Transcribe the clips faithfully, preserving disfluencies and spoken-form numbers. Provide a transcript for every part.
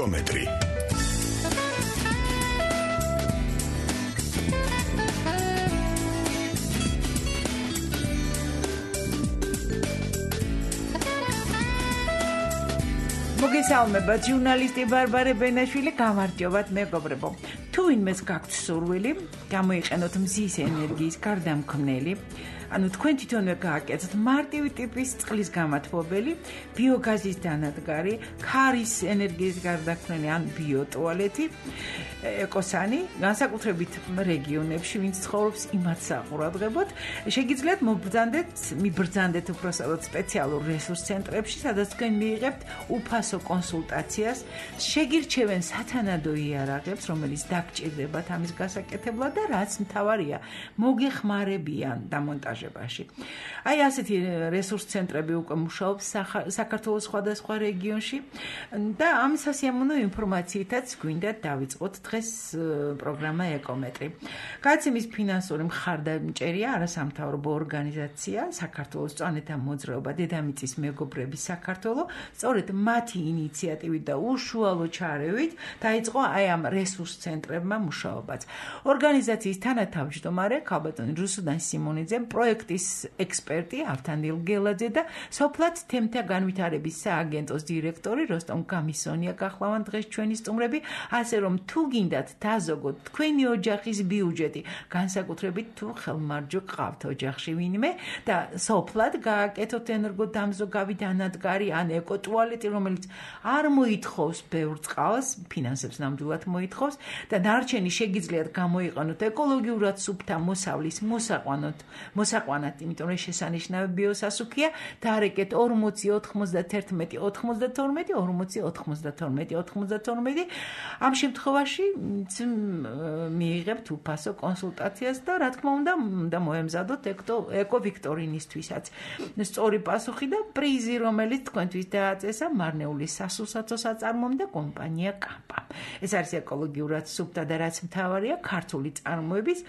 ეკომეტრი. მოგესალმება ჟურნალისტი ბარბარე ბენაშვილი, გამარჯობათ მეგობრებო. თუ ვინმეს გაქვთ სურვილი, გამოიყენოთ მზის ენერგიის გარდამქმნელი, ანუ თქვენ თვითონვე გააკეთოთ მარტივი ტიპის წყლის გამათბობელი, ბიოგაზის დანადგარი, ქარის ენერგიის გარდამქმნელი ან ბიოტუალეტი, ეკოსანი, განსაკუთრებით რეგიონებში, ვინც ცხოვრობს, იმათ საყურადღებოთ. შეგიძლიათ მობრძანდეთ, მიბრძანდეთ უпроსადოთ სპეციალურ რესურს ცენტრებში, სადაც თქვენ მიიღებთ უფასო კონსულტაციას, შეგირჩევენ სათანადო იარაღებს, რომელიც დაგჭირდებათ ამის გასაკეთებლად და რაც მთავარია, მოგეხმარებიან დამონტაჟებაში. აი ასეთი რესურს ცენტრები უკვე მუშაობს საქართველოს სხვადასხვა რეგიონში და ამ სასიამოვნო ინფორმაციითაც გვინდა დავიწყოთ დღეს პროგრამა ეკომეტრი. გადაცემის ფინანსური მხარდამჭერია არასამთავრობო ორგანიზაცია საქართველოს წვანეთა მოძრაობა დედამიწის მეგობრები საქართველო. სწორედ მათი ინიციატივით და უშუალო ჩარევით დაიწყო აი ამ რესურს ცენტრებმა მუშაობაც. ორგანიზაციის თანათავმჯდომარე ქალბატონი რუსუდან სიმონიძე, პროექტის ექსპერტი ავთანდილ გელაძე და სოფლად თემთა განვითარების სააგენტოს დირექტორი როსტომ გამისონია გახლავან დღეს ჩვენი სტუმრები, ასე რომ თუ გინდათ დაზოგოთ თქვენი ოჯახის ბიუჯეტი, განსაკუთრებით თუ ხელმარჯვე ყავთ ოჯახში ვინმე და სოფლად გააკეთოთ ენერგოდამზოგავი დანადგარი ან ეკოტუალეტი, რომელიც არ მოითხოვს ბევრ წყალს, ფინანსებს ნამდვილად მოითხოვს და დარჩენი შეგიძლიათ გამოიყენოთ ეკოლოგიურად სუფთა მოსავლის მოსაყვანოთ, მოსაყვანად, იმიტომ რომ შესანიშნავი ბიოსასუქია, დაარეკეთ ორმოცი ოთხმოცდაერთმეტი ოცდათორმეტი ორმოცი ოთხმოცდათორმეტი ოცდათორმეტი. ამ შემთხვევაში მიიღებთ უფასო კონსულტაციას და რა თქმა უნდა, უნდა მოემზადოთ ეკო ვიქტორინისთვისაც სწორი პასუხი და პრიზი, რომელიც თქვენთვის დააწესა მარნეული სასურსათო საწარმოომ და კომპანია კამპა. ეს არის ეკოლოგიურად სუფთა და რაც მთავარია, ქართული წარმოების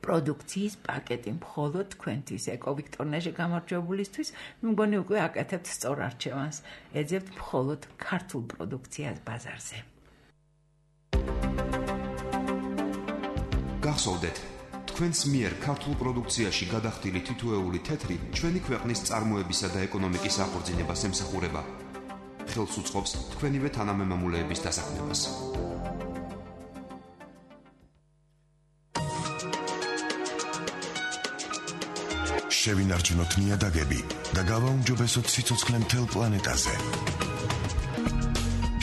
პროდუქციის პაკეტი მხოლოდ თქვენთვის ეკოვიქტორნაში გამარჯვებულისთვის. მგონი უკვე აკეთებთ სწორ არჩევანს, ეძებთ მხოლოდ ქართულ პროდუქციას ბაზარზე. გახსოვდეთ, თქვენს მიერ ქართულ პროდუქციაში გადახდილი თითოეული თეთრი ჩვენი ქვეყნის წარმოებისა და ეკონომიკის აღორძინებას ემსახურება. ხელს უწყობს თქვენივე თანამემამულეების დასაქმებას. შევინარჩუნოთ ნიადაგები და გავაუმჯობესოთ სიცოცხლე მთელ პლანეტაზე.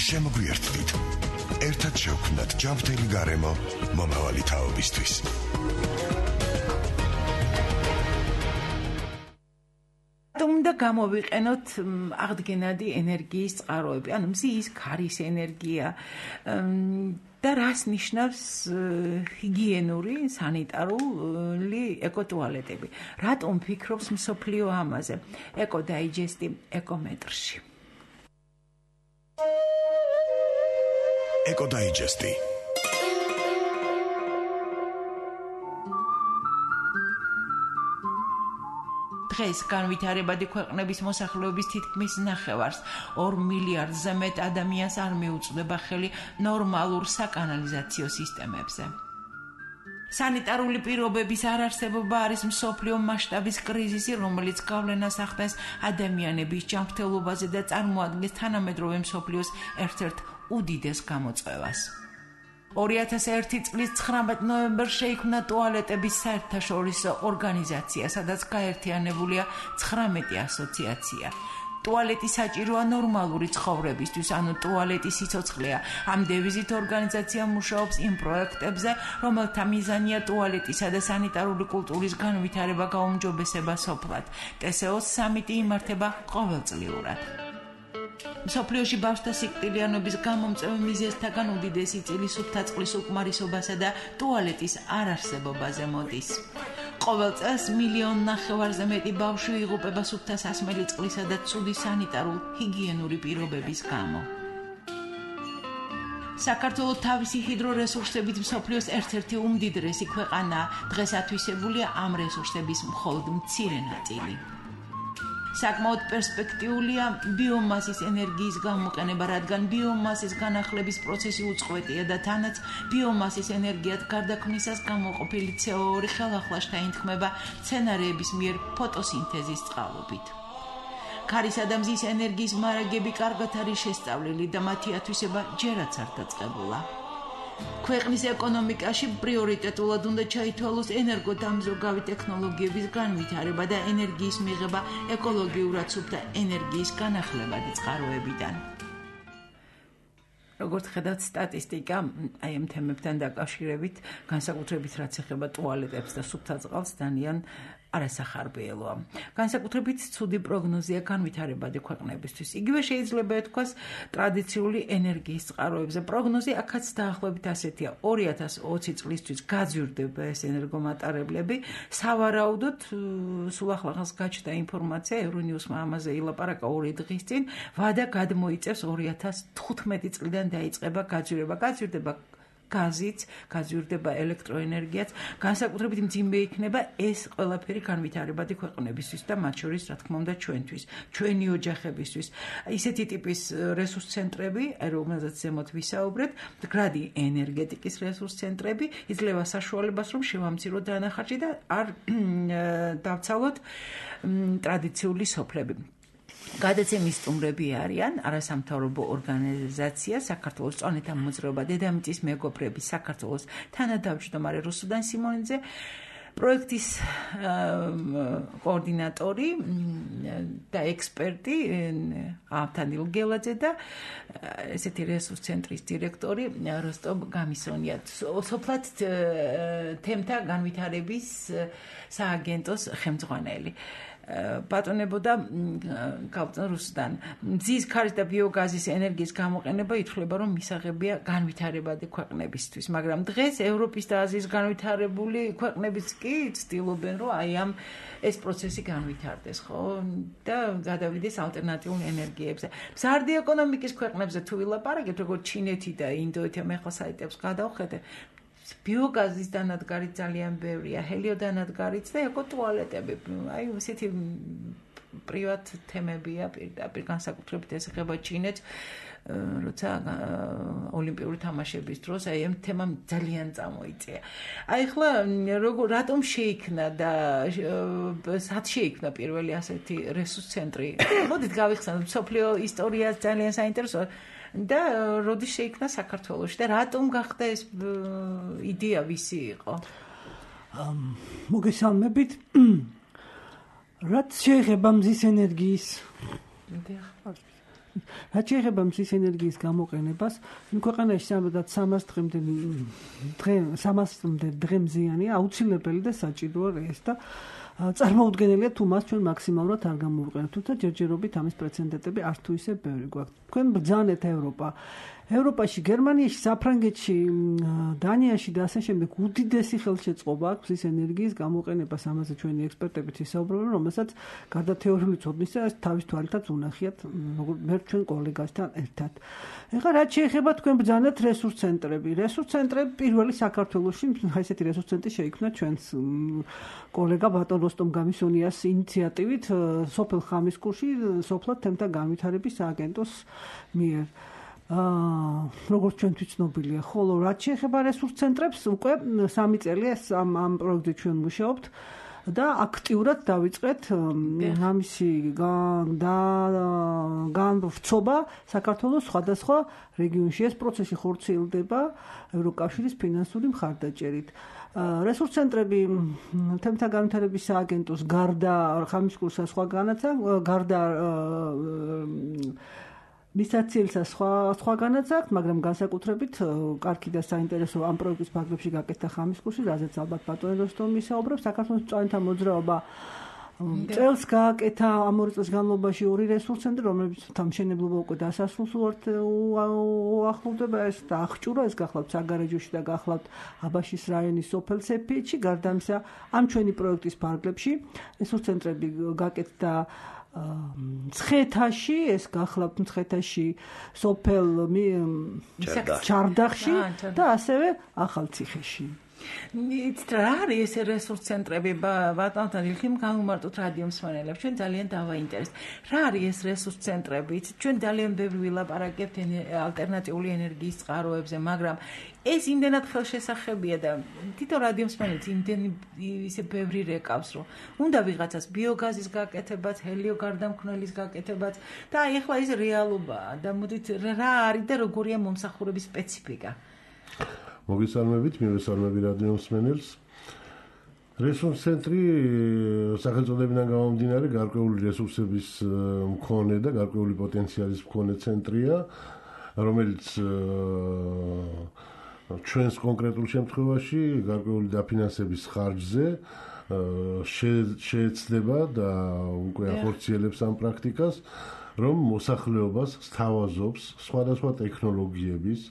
შემოგვიერთდით. ერთად შევქმნათ ჯანმრთელი გარემო მომავალი თაობისთვის. უნდა გამოვიყენოთ აღდგენადი ენერგიის წყაროები, ანუ მზის, ქარის ენერგია და რას ნიშნავს ჰიგიენური, სანიტარული ეკოტუალეტები. რატომ ფიქრობს მსოფლიო ამაზე? ეკოდაიჯესტი ეკომეტრში. ეკოდაიჯესტი. დღეს განვითარებადი ქვეყნების მოსახლეობის თითქმის ნახევარს, ორ მილიარდზე მეტ ადამიანს არ მიუწვდება ხელი ნორმალურ საკანალიზაციო სისტემებზე. სანიტარული პირობების არარსებობა არის მსოფლიო მასშტაბის კრიზისი, რომელიც გავლენას ახდენს ადამიანების ჯანმრთელობაზე და წარმოადგენს თანამედროვე მსოფლიოს ერთ-ერთ უდიდეს გამოწვევას. ორი ათას ერთი წლის ცხრამეტ ნოემბერს შეიქმნა ტუალეტების საერთაშორისო ორგანიზაცია, სადაც გაერთიანებულია ცხრამეტი ასოციაცია. ტუალეტი საჭიროა ნორმალური ცხოვრებისთვის, ანუ ტუალეტი სიცოცხლეა. ამ დევიზით ორგანიზაცია მუშაობს იმ პროექტებზე, რომელთა მიზანია ტუალეტისა და სანიტარული კულტურის განვითარება, გაუმჯობესება სოფლად. ტესეოს სამიტი იმართება ყოველწლიურად. მსოფლიოში ბავშვთა სიკვდილიანობის გამომწვევი მიზეზთაგან უდიდესი წილი სუფთა წყლის უკმარისობასა და ტუალეტის არარსებობაზე მოდის. ყოველ წელს მილიონ ნახევარზე მეტი ბავშვი იღუპება სუფთა სასმელი წყლისა და ცუდი სანიტარულ ჰიგიენური პირობების გამო. საქართველო თავისი ჰიდრორესურსებით მსოფლიოს ერთ-ერთი უმდიდრესი ქვეყანაა. დღეს ათვისებულია ამ რესურსების მხოლოდ მცირე ნაწილი. საკმაოდ პერსპექტიულია ბიომასის ენერგიის გამოყენება, რადგან ბიომასის განახლების პროცესი უწყვეტია და თანაც ბიომასის ენერგიად გარდაქმნისას გამოყოფილი ცე ო ორი ხელახლა შეინთქმება მცენარეების მიერ ფოტოსინთეზის წყალობით. ქარისა და მზის ენერგიის მარაგები კარგად არის შესწავლილი და მათი ათვისება ჯერაც არ დაწყებულა. ქვეყნის ეკონომიკაში პრიორიტეტულად უნდა ჩაითვალოს ენერგოდამზოგავი ტექნოლოგიების განვითარება და ენერგიის მიღება ეკოლოგიურად სუფთა ენერგიის განახლებადი წყაროებიდან. როგორც ხედავთ სტატისტიკა, აი ამ თემებთან დაკავშირებით, განსაკუთრებით რაც ეხება ტუალეტებს და სუფთა წყალს, ძალიან არასახარბიელოა. განსაკუთრებით ცუდი პროგნოზია განვითარებადი ქვეყნებისთვის. იგივე შეიძლება ითქვას ტრადიციული ენერგიის წყაროებზე. პროგნოზი აქაც დაახლოებით ასეთია: ორი ათას ოცი წლისთვის გაძვირდება ეს ენერგომატარებლები. სავარაუდოდ, სულ ახლახანს გაჩნდა ინფორმაცია, ევრონიუსმა ამაზე ილაპარაკა ორი დღის წინ, ვადა გადმოიწევს ორი ათას თხუთმეტი წლიდან დაიწყება გაძვირება. გაძვირდება გაზიც, გაძვირდება ელექტროენერგიაც, განსაკუთრებით მძიმე იქნება ეს ყველაფერი განვითარებადი ქვეყნებისთვის და მათ შორის, რა თქმა უნდა, ჩვენთვის, ჩვენი ოჯახებისთვის. ისეთი ტიპის რესურს ცენტრები, რომელზეც ზემოთ ვისაუბრეთ, მდგრადი ენერგეტიკის რესურს ცენტრები იძლევა საშუალებას, რომ შევამციროთ დანახარჯი და არ დავცალოთ ტრადიციული სოფლები. გადაცემის სტუმრები არიან არასამთავრობო ორგანიზაცია საქართველოს წონეთა მოძრაობა დედამიწის მეგობრები საქართველოს თანადამჯდომარე რუსუდან სიმონიძე, პროექტის კოორდინატორი და ექსპერტი ავთანდილ გელაძე და ესეთი რესურს ცენტრის დირექტორი როსტომ გამისონია. სოფლად თემთა განვითარების სააგენტოს ხელმძღვანელი. ბატონებოდა კაპიტან რუსუდან. მზის ქარის და ბიოგაზის ენერგიის გამოყენება ითვლება, რომ მისაღებია განვითარებადი ქვეყნებისთვის, მაგრამ დღეს ევროპის და აზიის განვითარებული ქვეყნებიც კი ცდილობენ, რომ აი ამ ეს პროცესი განვითარდეს, ხო? და გადავიდეს ალტერნატიულ ენერგიებზე. მზარდი ეკონომიკის ქვეყნებზე თუ ვილაპარაკებთ, როგორც ჩინეთი და ინდოეთი, მე ახლა საიტებს გადავხედე, ბიოგაზის დანადგარი ძალიან ბევრია, ჰელიოდანადგარიც და ეკოტუალეტები. აი ესეთი პრივატ თემებია პირდაპირ, განსაკუთრებით ეს ეხება ჩინეთს, როცა ოლიმპიური თამაშების დროს აი ამ თემამ ძალიან წამოიწია. აი ახლა როგორ რატომ შეიქმნა და სად შეიქმნა პირველი ასეთი რესურს ცენტრი? მოდით გავიხსენოთ, მსოფლიო ისტორია ძალიან საინტერესოა. და როდის შეიქმნა საქართველოში და რატომ გახდა ეს იდეა ვისი იყო? მოგესალმებით. რაც შეეხება მზის ენერგიის რაც შეეხება მზის ენერგიის გამოყენებას, ქვეყანაში სამედაც სამას დღემდე დღე სამასამდე დღემზიანი აუცილებელი და საჭიროა ეს და წარმოუდგენელია თუ მას ჩვენ მაქსიმალურად არ გამოვიყენებთ, თუმცა ჯერჯერობით ამის პრეცედენტები არც თუ ისე ბევრი გვაქვს. თქვენ ბრძანეთ ევროპა. ევროპაში, გერმანიაში, საფრანგეთში, დანიაში და ასე შემდეგ უდიდესი ხელშეწყობა აქვს მზის ენერგიის გამოყენებას, ამაზე ჩვენი ექსპერტებიც ისაუბრებენ, რომელსაც გარდა თეორიული ცოდნისა თავის თვალითაც უნახიათ, როგორც მე ჩვენ კოლეგასთან ერთად. ეხლა რაც შეეხება თქვენ ბრძანეთ რესურს ცენტრები. რესურს ცენტრები პირველი საქართველოში, ესეთი რესურს ცენტრი შეიქმნა ჩვენს კოლეგა ბატონ როსტომ გამისონიას ინიციატივით სოფელ ხამისკურში სოფლად თემთა განვითარების სააგენტოს მიერ. აა როგორც ჩვენთვის ცნობილია, ხოლო რაც შეეხება რესურს ცენტრებს, უკვე სამი წელია ამ ამ პროექტზე ჩვენ მუშაობთ და აქტიურად დავიწყეთ ამისი და განვრცობა საქართველოს სხვადასხვა რეგიონში. ეს პროცესი ხორციელდება ევროკავშირის ფინანსური მხარდაჭერით. რესურს ცენტრები თემთა განვითარების სააგენტოს გარდა ხამისკურსა სხვაგანაც გარდა მისაცილსა სხვა სხვაგანაც აქვს, მაგრამ განსაკუთრებით კარგი და საინტერესო ამ პროექტის ფარგლებში გაკეთდა ხამისკურსი, რაზეც ალბათ ბატონი როსტომი ისაუბრებს. საქართველოს წონეთა მოძრაობა წელს გააკეთა ამ ორი წლის განმავლობაში ორი რესურს ცენტრი, რომლებიც თამშენებლობა უკვე დასასრულს უახლოვდება. ეს და აღჭურა, ეს გახლავთ საგარეჯოში და გახლავთ აბაშის რაიონის სოფელ სეფიეთში. გარდა ამისა, ამ ჩვენი პროექტის ფარგლებში რესურს ცენტრები გაკეთდა მცხეთაში, ეს გახლავთ მცხეთაში სოფელ ჩარდახში და ასევე ახალციხეში. იცით რა არის ეს რესურს ცენტრები ბატონთან ილხიმ გამომარტოთ რადიო მსმენელებს ჩვენ ძალიან დავაინტერესებთ რა არის ეს რესურს ცენტრები იცით ჩვენ ძალიან ბევრი ვილაპარაკებთ ალტერნატიული ენერგიის წყაროებზე მაგრამ ეს იმდენად ხელშესახებია და თითო რადიო მსმენელს იმდენი ისე ბევრი რეკავს რომ უნდა ვიღაცას ბიოგაზის გაკეთებაც ჰელიო გარდამქმნელის გაკეთებაც და აი ახლა ეს რეალობაა და მოდით რა არის და როგორია მომსახურების სპეციფიკა მოგესალმებით, მივესალმები რადიო მსმენელს. რესურს ცენტრი სახელწოდებიდან გამომდინარე გარკვეული რესურსების მქონე და გარკვეული პოტენციალის მქონე ცენტრია, რომელიც ჩვენს კონკრეტულ შემთხვევაში გარკვეული დაფინანსების ხარჯზე შეეცდება და უკვე ახორციელებს ამ პრაქტიკას, რომ მოსახლეობას სთავაზობს სხვადასხვა ტექნოლოგიების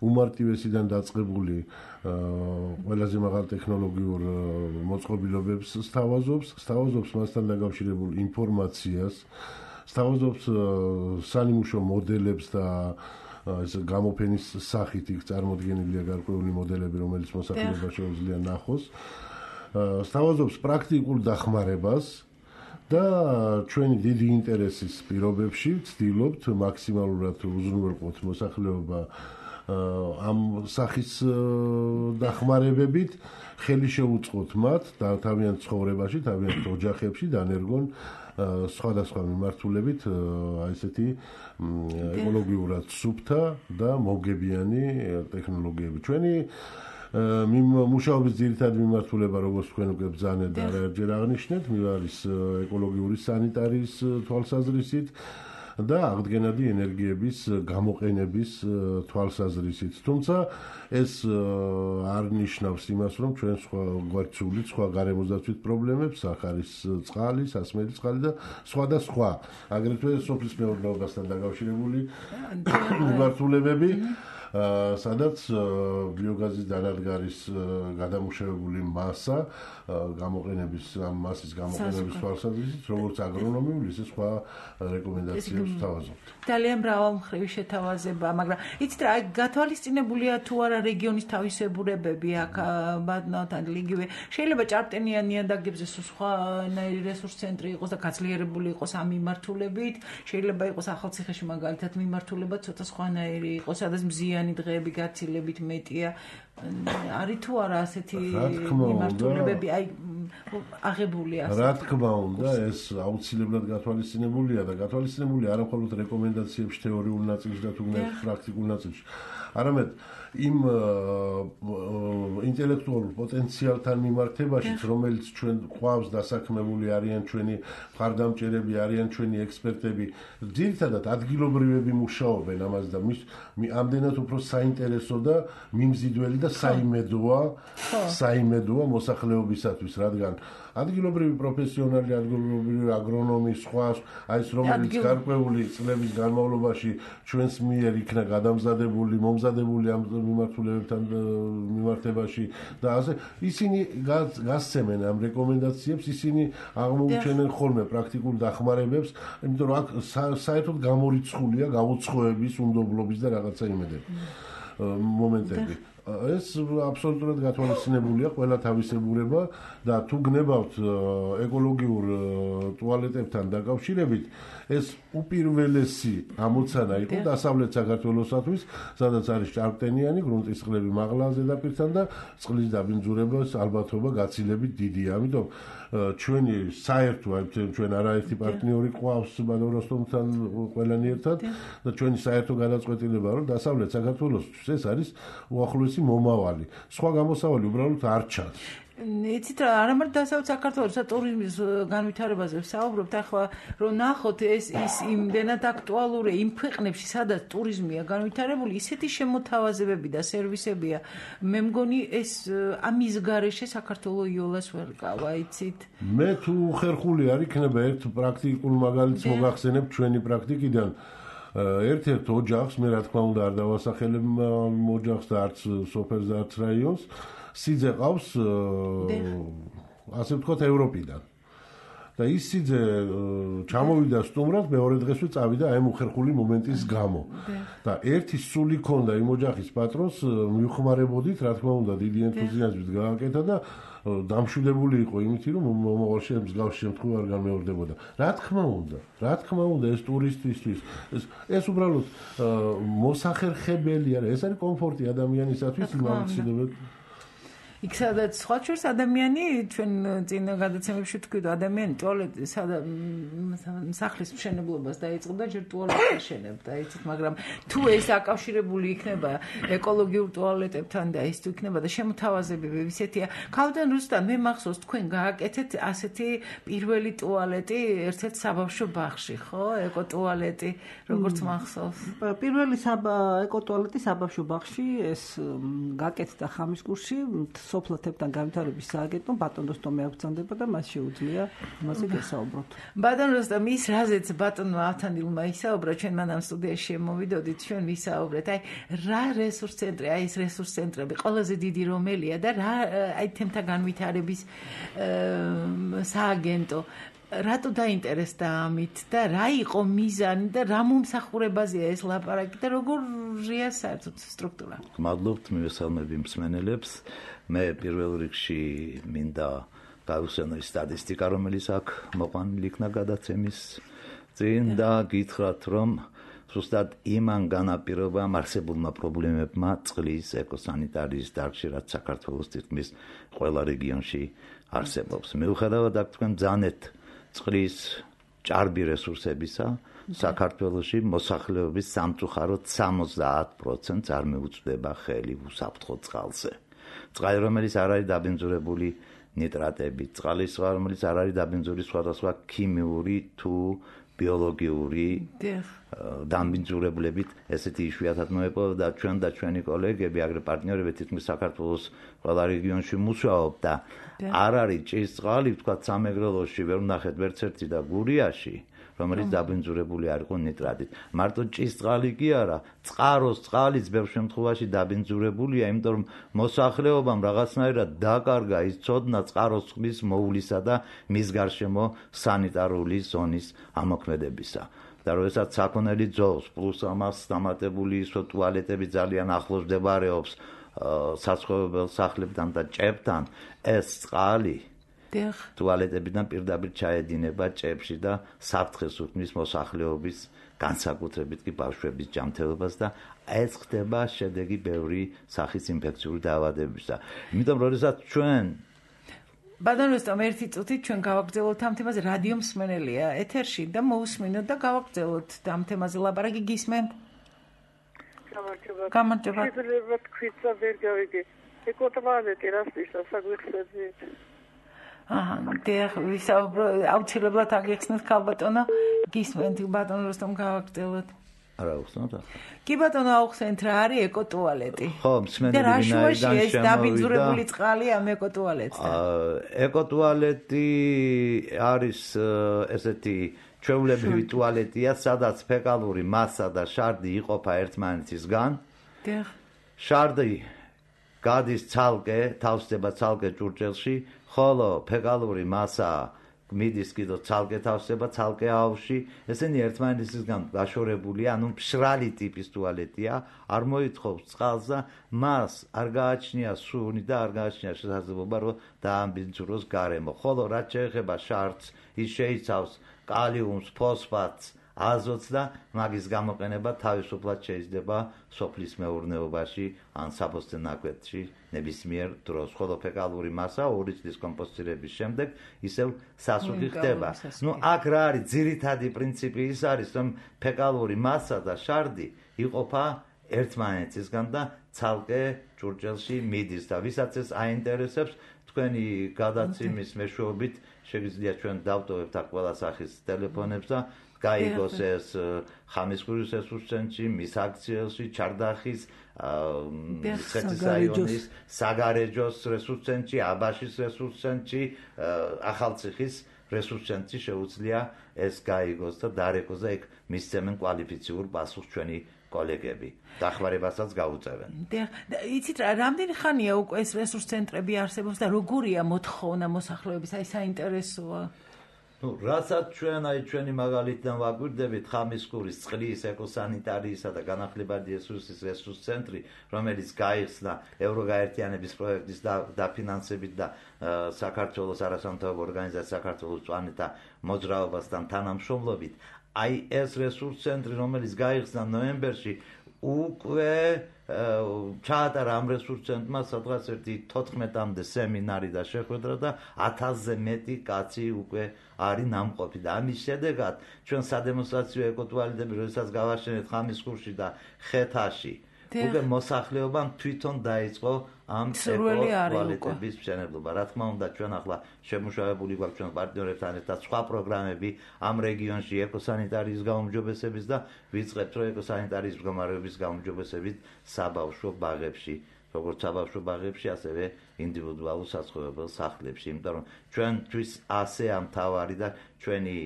უმარტივესიდან დაწყებული ყველაზე მაღალ ტექნოლოგიურ მოწყობილობებს სთავაზობს, სთავაზობს მასთან დაკავშირებულ ინფორმაციას, სთავაზობს სანიმუშო მოდელებს და ეს გამოფენის სახით იქ წარმოდგენილია გარკვეული მოდელები, რომელიც მოსახლეობას შეუძლია ნახოს. სთავაზობს პრაქტიკულ დახმარებას და ჩვენი დიდი ინტერესის პირობებში ვცდილობთ მაქსიმალურად უზრუნველყოთ მოსახლეობა ამ სახის დახმარებებით ხელი შეუწყოთ მათ და თავიანთ ცხოვრებაში, თავიანთ ოჯახებში დანერგონ სხვადასხვა მიმართულებით აი ესეთი ეკოლოგიურად სუფთა და მოგებიანი ტექნოლოგიები. ჩვენი მუშაობის ძირითადი მიმართულება, როგორც თქვენ უკვე ბრძანეთ და არაერთხელ აღნიშნეთ, არის ეკოლოგიური სანიტარიის თვალსაზრისით და აღდგენადი ენერგიების გამოყენების თვალსაზრისით. თუმცა ეს არ ნიშნავს იმას, რომ ჩვენ სხვა გვარცული სხვა გარემოსდაცვით პრობლემებს, ახარის წყალი, სასმელი წყალი და სხვა და სხვა, აგრეთვე სოფლის მეურნეობასთან დაკავშირებული მიმართულებები, სადაც ბიოგაზის დანადგარის გადამუშავებული მასა გამოყენების ამ მასის გამოყენების თვალსაზრისით, როგორც აგრონომიული, ისე სხვა რეკომენდაციებს ვთავაზობთ. ძალიან მრავალმხრივი შეთავაზება, მაგრამ იცით რა, გათვალისწინებულია თუ არა რეგიონის თავისებურებები აქ ბატონთან იგივე. შეიძლება ჭარბტენიან ნიადაგებზე სხვანაირი რესურს ცენტრი იყოს და გაძლიერებული იყოს ამ მიმართულებით, შეიძლება იყოს ახალციხეში მაგალითად მიმართულება ცოტა სხვანაირი იყოს, სადაც მზიანი დღეები გაცილებით მეტია. არის თუ არა ასეთი მიმართულებები აი აღებული ასე. რა თქმა უნდა, ეს აუცილებლად გათვალისწინებულია და გათვალისწინებულია არა მხოლოდ რეკომენდაციებში თეორიულ ნაწილში და თუნდაც პრაქტიკულ ნაწილში. არამედ იმ ინტელექტუალურ პოტენციალთან მიმართებაშიც, რომელიც ჩვენ ყავს დასაქმებული არიან ჩვენი მხარდამჭერები, არიან ჩვენი ექსპერტები, ძირითადად ადგილობრივები მუშაობენ ამას და ამდენად უფრო საინტერესო და მიმზიდველი და საიმედოა, საიმედოა მოსახლეობისათვის, რადგან ადგილობრივი პროფესიონალი, ადგილობრივი აგრონომი, სხვა, აი ეს რომელიც გარკვეული წლების განმავლობაში ჩვენს მიერ იქნა გადამზადებული, მომზადებული ამ მიმართულებებთან მიმართებაში და ასე ისინი გასცემენ ამ რეკომენდაციებს, ისინი აღმოუჩენენ ხოლმე პრაქტიკულ დახმარებებს, იმიტომ რომ აქ საერთოდ გამორიცხულია გაუცხოების, უნდობლობის და რაღაცა იმედები მომენტები. ეს აბსოლუტურად გათვალისწინებულია ყველა თავისებურება და თუ გნებავთ ეკოლოგიურ ტუალეტებთან დაკავშირებით ეს უპირველესი ამოცანა იყო დასავლეთ საქართველოსათვის, სადაც არის ჭარბტენიანი გრუნტის წყლები მაღლა ზედაპირთან და წყლის დაბინძურების ალბათობა გაცილებით დიდია. ამიტომ ჩვენი საერთო ჩვენ არაერთი პარტნიორი ყავს ბატონ როსტომთან ყველანი ერთად და ჩვენი საერთო გადაწყვეტილება რომ დასავლეთ საქართველოსთვის ეს არის უახლოესი მომავალი. სხვა გამოსავალი უბრალოდ არ ჩანს. იცით რა, არა მარტო დასავლეთ საქართველოს ტურიზმის განვითარებაზე ვსაუბრობთ, ახლა რომ ნახოთ ეს ის იმდენად აქტუალურია იმ ქვეყნებში, სადაც ტურიზმია განვითარებული, ისეთი შემოთავაზებები და სერვისებია. მე მგონი ეს ამის გარეშე საქართველოს იოლას ვერ ყავა, იცით? მე თუ ხერხული არ იქნება ერთ პრაქტიკულ მაგალითს მოგახსენებ ჩვენი პრაქტიკიდან. ერთ-ერთ ოჯახს, მე რა თქმა უნდა არ დავასახელებ ოჯახს და არც სოფელს და არც რაიონს, სიძე ყავს ასე ვთქვათ ევროპიდან. და ის სიძე ჩამოვიდა სტუმრად, მეორე დღესვე წავიდა აი მოხერხული მომენტის გამო. და ერთი სული ქონდა იმ ოჯახის პატრონს, მივხმარებოდით, რა თქმა უნდა, დიდი ენთუზიაზმით გააკეთა და დამშვიდებული იყო იმით, რომ მომავალში მსგავს შემთხვევა არ განმეორდებოდა. რა თქმა უნდა, რა თქმა უნდა, ეს ტურისტისთვის, ეს ეს უბრალოდ მოსახერხებელი არა, ეს არის კომფორტი ადამიანისათვის, იმავე იქ სადაც სხვა შორს ადამიანი ჩვენ წინ გადაცემებში თქვით ადამიანი ტუალეტი სახლის მშენებლობას დაიწყებდა ჯერ ტუალეტს აშენებდა იცით მაგრამ თუ ეს აკავშირებული იქნება ეკოლოგიურ ტუალეტებთან და ის თუ იქნება და შემოთავაზებები ისეთია ქავდან რუსთან მე მახსოვს თქვენ გააკეთეთ ასეთი პირველი ტუალეტი ერთ-ერთ საბავშვო ბაღში ხო ეკო ტუალეტი როგორც მახსოვს პირველი ეკო ტუალეტი საბავშვო ბაღში ეს გააკეთდა ხამისკურში სოფლათებთან განვითარების სააგენტომ ბატონ როსტომი აღწანდება და მას შეუძლია იმაზე გესაუბროთ. ბატონ როსტომი ის რაზეც ბატონმა ავთანდილმა ისაუბრა ჩვენ მანამ სტუდიაში შემოვიდოდით ჩვენ ვისაუბრეთ აი რა რესურს ცენტრი აი ეს რესურს ცენტრები ყველაზე დიდი რომელია და რა აი თემთა განვითარების სააგენტო რატო დაინტერესდა ამით და რა იყო მიზანი და რა მომსახურებაზეა ეს ლაპარაკი და როგორია საერთოდ სტრუქტურა? მადლობთ მივესალმები მსმენელებს. მე პირველ რიგში მინდა გავუსვენო სტატისტიკა, რომელიც აქ მოყვანილი იქნა გადაცემის წინ და გითხრათ, რომ ზუსტად იმან განაპირობა არსებულმა პრობლემებმა წყლის ეკოსანიტარიის დარგში, რაც საქართველოს თითქმის ყველა რეგიონში არსებობს. მიუხედავად აქ თქვენ ბრძანეთ წყლის ჭარბი რესურსებისა, საქართველოში მოსახლეობის სამწუხაროდ სამოცდაათ პროცენტს არ მიუწვდება ხელი უსაფრთხო წყალზე. წყალი, რომელიც არ არის დაბინძურებული ნიტრატებით, წყალი, რომელიც არ არის დაბინძურებული სხვადასხვა ქიმიური თუ ბიოლოგიური დაბინძურებლებით, ესეთი იშვიათად მოეპოვება და ჩვენ და ჩვენი კოლეგები, აგრე პარტნიორები თითქმის საქართველოს ყველა რეგიონში მუშაობ და არ არის ჭის წყალი, თქვა სამეგრელოში ვერ ვნახეთ ვერც ერთი და გურიაში, რომელიც დაბინძურებული არ იყო ნიტრატით. მარტო ჭის წყალი კი არა, წყაროს წყალიც ბევრ შემთხვევაში დაბინძურებულია, იმიტომ რომ მოსახლეობამ რაღაცნაირად დაკარგა ის ცოდნა წყაროს წყლის მოვლისა და მის გარშემო სანიტარული ზონის ამოქმედებისა. და როდესაც საქონელი ძოვს, პლუს ამას დამატებული ისო ტუალეტები ძალიან ახლოს მდებარეობს საცხოვრებელ სახლებთან და ჭებთან, ეს წყალი ტუალეტებიდან პირდაპირ ჩაედინება ჭებში და საფრთხეს უქმნის მოსახლეობის განსაკუთრებით კი ბავშვების ჯანმრთელობას და ეს ხდება შედეგი ბევრი სახის ინფექციური დაავადებებისა. იმიტომ როდესაც ჩვენ ბატონ როსტომ ერთი წუთით ჩვენ გავაგრძელოთ ამ თემაზე რადიო მსმენელია ეთერში და მოусმინოთ და გავაგრძელოთ ამ თემაზე ლაპარაკი გისმენთ? გამარჯობა. გამარჯობა. შეიძლება თქვით და ვერ გავიგე. ეკოტუალეტი რასთვის საგვიხსენებთ? აჰა, დიახ, ვისაუბრო, აუცილებლად აგიხსნით ქალბატონო, გისმენთ ბატონ როსტომ გავაგრძელოთ. არა უხსნათ? კი ბატონო, აუხსენთ რა არის ეკოტუალეტი? ხო, მსმენელი ვინაიდან ეს დაბინძურებული წყალი ამ ეკოტუალეტსა? ეკოტუალეტი არის ესეთი ჩვეულებრივი ტუალეტია, სადაც ფეკალური მასა და შარდი იყოფა ერთმანეთისგან. დიახ. შარდი გადის ცალკე, თავსდება ცალკე ჭურჭელში, ხოლო ფეკალური მასა მიდის კიდო ცალკე თავსდება ცალკე აუზში, ესენი ერთმანეთისგან გაშორებულია, ანუ მშრალი ტიპის ტუალეტია, არ მოითხოვს წყალს და მას არ გააჩნია სუნი და არ გააჩნია შესაძლებლობა, რომ დააბინძუროს გარემო. ხოლო რაც შეეხება შარდს, ის შეიცავს კალიუმს, ფოსფატს, აზოტს და მაგის გამოყენება თავისუფლად შეიძლება სოფლის მეურნეობაში ან საფოსტე ნაკვეთში ნებისმიერ დროს. ხოლო ფეკალური მასა ორი წლის კომპოსტირების შემდეგ ისევ სასუქი ხდება. ნუ აქ რა არის ძირითადი პრინციპი ის არის, რომ ფეკალური მასა და შარდი იყოფა ერთმანეთისგან და ცალკე ჭურჭელში მიდის და ვისაც ეს აინტერესებს, თქვენი გადაცემის მეშვეობით შეგიძლიათ ჩვენ დავტოვებთ აქ ყველა სახის ტელეფონებს და გაიგოს ეს ხამისკურის რესურს ცენტრი, მის აქციელში, ჩარდახის, მცხეთის რაიონის, საგარეჯოს რესურს ცენტრი, აბაშის რესურს ცენტრი, ახალციხის რესურს ცენტრი შეუძლია ეს გაიგოს და დარეკოს და იქ მისცემენ კვალიფიციურ პასუხს ჩვენი კოლეგები. დახმარებასაც გაუწევენ. იცით რა, რამდენი ხანია უკვე ეს რესურს ცენტრები არსებობს და როგორია მოთხოვნა მოსახლეობის, აი საინტერესოა. ნუ რასაც ჩვენ აი ჩვენი მაგალითიდან ვაგვირდებით ხამისკურის წყლის ეკოსანიტარიისა და განახლებადი რესურსის რესურს ცენტრი, რომელიც გაიხსნა ევროგაერთიანების პროექტის დაფინანსებით და საქართველოს არასამთავრობო ორგანიზაცია საქართველოს წვანეთა მოძრაობასთან თანამშრომლობით, აი ეს რესურს ცენტრი, რომელიც გაიხსნა ნოემბერში, უკვე ჩაატარა ამ რესურს ცენტრმა სადღაც ერთი თოთხმეტამდე სემინარი და შეხვედრა და ათასზე მეტი კაცი უკვე არის ნამყოფი და ამის შედეგად ჩვენ სადემონსტრაციო ეკოტუალეტები, როდესაც გავაშენეთ ხამისკურში და ხეთაში, უკვე მოსახლეობამ თვითონ დაიწყო ამ ეკოტუალეტების მშენებლობა. რა თქმა უნდა, ჩვენ ახლა შემუშავებული გვაქვს ჩვენ პარტნიორებთან ერთად სხვა პროგრამები ამ რეგიონში ეკოსანიტარიის გაუმჯობესების და ვიწყებთ რომ ეკოსანიტარიის მდგომარეობის გაუმჯობესებით საბავშვო ბაღებში, როგორც საბავშვო ბაღებში, ასევე ინდივიდუალურ საცხოვრებელ სახლებში, იმიტომ რომ ჩვენთვის ასე ამთავარი და ჩვენი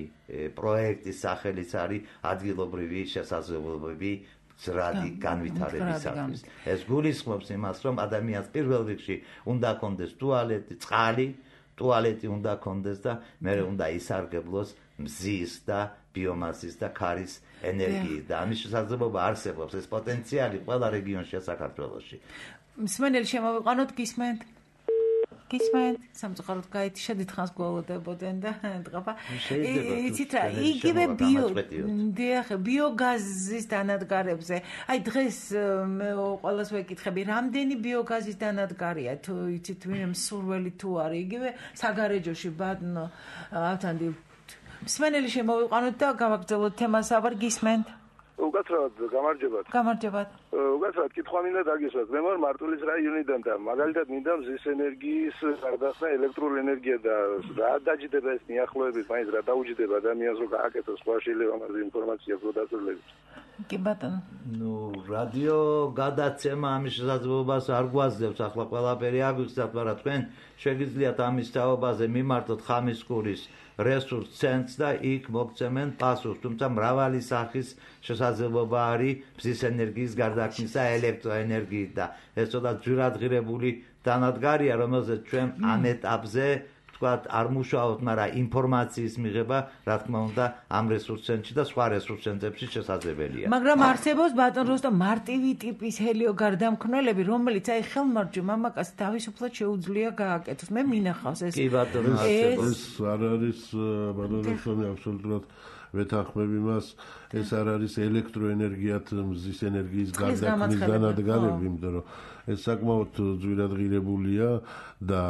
პროექტის სახელიც არის ადგილობრივი შესაძლებლობები ზრადი განვითარებისათვის. ეს გულისხმობს იმას, რომ ადამიანს პირველ რიგში უნდა კონდეს ტუალეტი, წყალი, ტუალეტი უნდა კონდეს და მერე უნდა ისარგებლოს მზის და ბიომასის და ქარის ენერგიით და ამის შესაძლებლობა არსებობს, ეს პოტენციალი ყველა რეგიონშია საქართველოში. მსმენელი შემოვიყვანოთ, გისმენთ? გისმენთ? სამწუხაროდ გაითიშა დიდხანს გველოდებოდნენ და დღაფა. იცით რა, იგივე ბიო დიახ, ბიოგაზის დანადგარებზე. აი დღეს ყველას ვეკითხები, რამდენი ბიოგაზის დანადგარია, თუ იცით ვინმე მსურველი თუ არის, იგივე საგარეჯოში ბატონო ავთანდი. მსმენელი შემოვიყვანოთ და გავაგრძელოთ თემას, აბარ გისმენთ? უკაცრავად გამარჯობათ. გამარჯობათ. უკაცრავად კითხვა მინდა დაგისვათ. მე ვარ მარტვილის რაიონიდან და მაგალითად მინდა მზის ენერგიის გარდახსნა ელექტროენერგია და რა დაჯდება ეს მიახლოებით, მაინც რა დაუჯდება ადამიანს რომ გააკეთოს სხვა შეიძლება ამაზე ინფორმაცია პროდასულებით. კი ბატონო. ნუ რადიო გადაცემა ამის შესაძლებლობას არ გვაძლევს, ახლა ყველაფერი აგვიხსნათ, მაგრამ თქვენ შეგიძლიათ ამის თაობაზე მიმართოთ ხამისკურის რესურს ცენტრს და იქ მოგცემენ პასუხს, თუმცა მრავალი სახის შესაძლებლობა არის მზის ენერგიის გარდაქმნისა ელექტროენერგიით და ეს ცოტა ძვირადღირებული დანადგარია, რომელზეც ჩვენ ამ ეტაპზე ვთქვათ არ მუშაობთ, მაგრამ ინფორმაციის მიღება, რა თქმა უნდა, ამ რესურს ცენტრში და სხვა რესურს ცენტრებში შესაძლებელია. მაგრამ არსებობს ბატონო როსტომ მარტივი ტიპის ჰელიოგარდამქონელები, რომელიც აი ხელმარჯვე მამაკაცს თავისუფლად შეუძლია გააკეთოს. მე მინახავს ეს. კი ბატონო, ეს არ არის ბატონო როსტომი აბსოლუტურად ვეთანხმებ იმას, ეს არ არის ელექტროენერგიათ მზის ენერგიის გარდაქმნის დანადგარები, იმიტომ რომ ეს საკმაოდ ძვირადღირებულია და